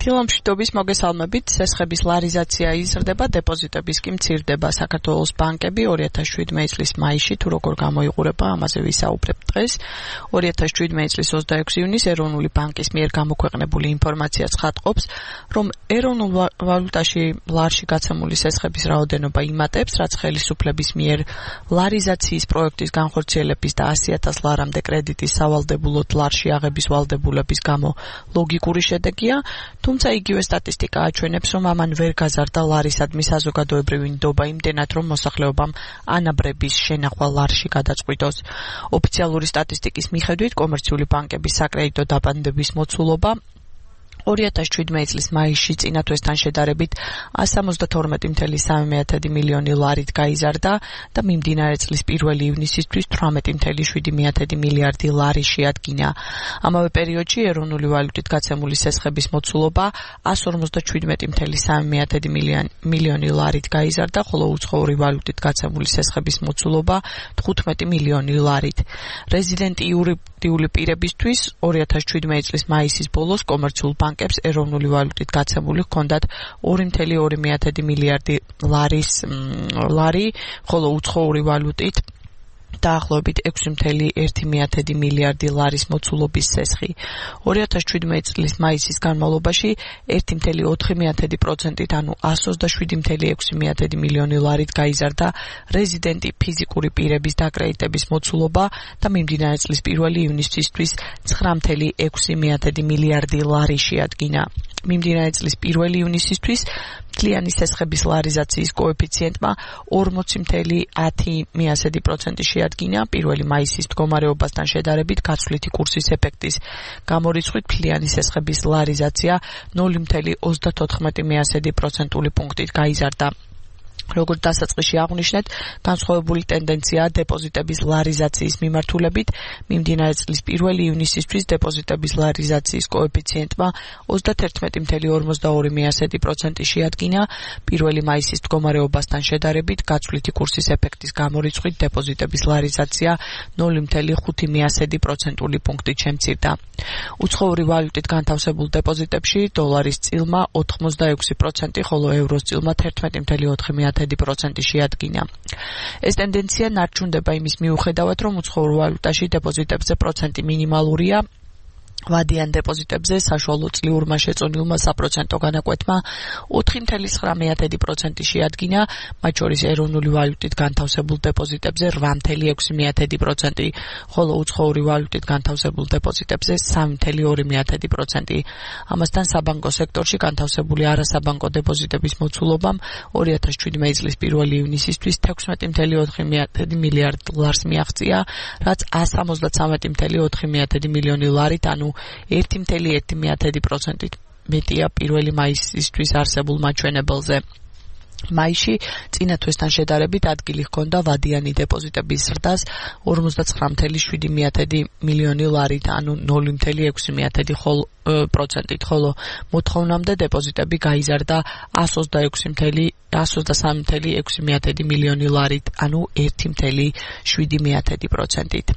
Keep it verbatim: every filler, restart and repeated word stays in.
დილამშვიდობის მოგესალმებით. სესხების ლარიზაცია იზრდება, დეპოზიტების კი მცირდება. საქართველოს ბანკები ორი ათას შვიდმეტი წლის მაისში თუ როგორ გამოიყურება, ამაზე ვისაუბრებთ დღეს. ორი ათას შვიდმეტი წლის ოცდაექვსი ივნისს ეროვნული ბანკის მიერ გამოქვეყნებული ინფორმაცია ცხადყოფს, რომ ეროვნულ ვალუტაში ლარში გაცემული სესხების რაოდენობა იმატებს, რაც ხელისუფლების მიერ ლარიზაციის პროექტის განხორციელების და ასი ათას ლარამდე კრედიტის სავალდებულოდ ლარში აღების ვალდებულების გამო ლოგიკური შედეგია. თუმცა იგივე სტატისტიკა აჩვენებს, რომ ამან ვერ გაზარდა ლარისადმი საზოგადოებრივი ნდობა იმდენად, რომ მოსახლეობამ ანაბრების შენახვა ლარში გადაწყვიტოს. ოფიციალური სტატისტიკის მიხედვით, კომერციული ბანკების საკრედიტო დაბანდების მოცულობა ორი ათას შვიდმეტი წლის მაისში წინა თვესთან შედარებით εκατს სამოცდათორმეტი წუთი სამი მილიონი ლარით გაიზარდა და მიმდინარე წლის პირველი ივნისისთვის თვრამეტი წუთი შვიდი მილიარდი ლარი შეადგინა. ამავე პერიოდში ეროვნული ვალუტით გაცემული სესხების მოცულობა εκατს ორმოცდაშვიდმეტი წუთი სამი მილიონი ლარით გაიზარდა, ხოლო უცხოური ვალუტით გაცემული სესხების მოცულობა თხუთმეტი მილიონი ლარით. რეზიდენტიური პირებისთვის ორი ათას შვიდმეტი წლის მაისის ბოლოს კომერციულ ბანკებს ეროვნული ვალუტით გაცემული ჰქონდათ ორი წუთი ორი მილიარდი ლარის ლარი, ხოლო უცხოური ვალუტით დაახლოებით ექვსი წუთი ერთი მილიარდი ლარის მოცულობის სესხი. ორი ათას შვიდმეტი წლის მაისის განმავლობაში ერთი წუთი ოთხი პროცენტით, ანუ εκατს ოცდაშვიდი წუთი ექვსი მილიონი ლარით გაიზარდა რეზიდენტი ფიზიკური პირების დაკრედიტების მოცულობა და მიმდინარე წლის პირველი ივნისისთვის ცხრა წუთი ექვსი მილიარდი ლარი შეადგინა. მიმდინარე წლის პირველი ივნისისთვის მთლიანი სესხების ლარიზაციის კოეფიციენტმა ორმოცი წუთი ათი პროცენტი შეადგინა. პირველი მაისის მდგომარეობასთან შედარებით გაცვლითი კურსის ეფექტის გამორიცხვით მთლიანი სესხების ლარიზაცია ნული წუთი ოცდათოთხმეტი პროცენტული პუნქტით გაიზარდა. როგორც დასაწყისში აღვნიშნეთ, განსხვავებული ტენდენციაა დეპოზიტების ლარიზაციის მიმართულებით. მიმდინარე წლის პირველი ივნისისთვის დეპოზიტების ლარიზაციის კოეფიციენტმა ოცდაათერთმეტი წუთი ორმოცდაორი პროცენტი შეადგინა. პირველი მაისის მდგომარეობასთან შედარებით გაცვლითი კურსის ეფექტის გამორიცხვით დეპოზიტების ლარიზაცია ნული წუთი ხუთი პროცენტული პუნქტით შემცირდა. უცხოური ვალუტით განთავსებულ დეპოზიტებში დოლარის წილმა ოთხმოცდაექვსი პროცენტი, ხოლო ევროს წილმა თერთმეტი წუთი ოთხი პროცენტი შეადგინა. ეს ტენდენცია ნარჩუნდება იმის მიუხედავად, რომ უცხოურ ვალუტაში დეპოზიტებზე პროცენტი მინიმალურია. ვადიან დეპოზიტებზე საშუალო წლიურმა შეწონილმა საპროცენტო განაკვეთმა ოთხი წუთი ცხრა პროცენტი შეადგინა, მათ შორის ეროვნული ვალუტით განთავსებულ დეპოზიტებზე რვა წუთი ექვსი პროცენტი, ხოლო უცხოური ვალუტით განთავსებულ დეპოზიტებზე სამი წუთი ორი პროცენტი. ამასთან საბანკო სექტორში განთავსებული არასაბანკო დეპოზიტების მოცულობამ ორი ათას შვიდმეტი წლის პირველი ივნისისთვის თექვსმეტი წუთი ოთხი მილიარდი ლარს მიაღწია, რაც εκατს სამოცდათრამეტი წუთი ოთხი მილიონი ლარით, ანუ ერთი წუთი ერთი პროცენტით მეტია პირველი მაისისთვის არსებულ მაჩვენებელზე. მაისში წინა თვესთან შედარებით ადგილი ჰქონდა ვადიანი დეპოზიტების ზრდას ორმოცდაცხრა წუთი შვიდი მილიონი ლარით, ანუ ნული წუთი ექვსი პროცენტით, ხოლო მოთხოვნამდე დეპოზიტები გაიზარდა εκατს ოცდასამი წუთი ექვსი მილიონი ლარით, ანუ ერთი წუთი შვიდი პროცენტით.